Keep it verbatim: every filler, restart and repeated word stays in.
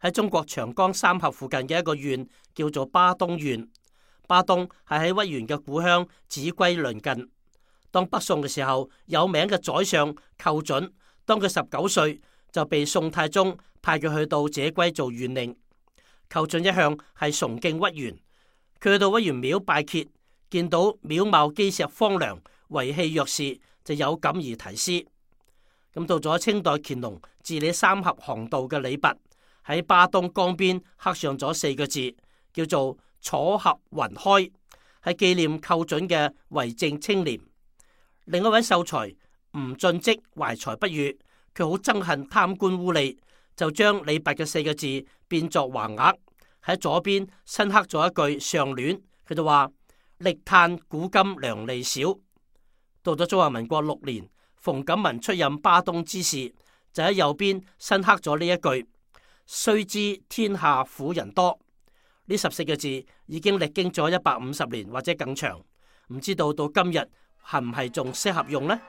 喺中國長江三峽附近嘅一個縣叫做巴東縣。巴東係喺屈原嘅故鄉秭歸鄰近。當北宋嘅時候，有名嘅宰相寇準，當佢十九歲就被宋太宗派佢去到秭歸做縣令。寇準一向係崇敬屈原，佢去到屈原廟拜謁，見到廟貌基石荒涼，遺棄弱士，就有感而題詩。咁到咗清代乾隆治理三峽航道嘅李白，喺巴東江邊刻上咗四個字，叫做楚峽雲開，係紀念寇準嘅為政清廉。另一位秀才吳進積懷才不遇，佢好憎恨貪官污吏，就將李白嘅四個字變作橫額，喺左邊新刻咗一句上聯，佢就話力嘆古今良吏少。到咗中華民國六年，馮錦文出任巴東知事，就喺右邊新刻咗呢一句：須知天下苦人多。呢十四個字已經歷經咗一百五十年或者更長，唔知道到今日係唔係仲適合用呢？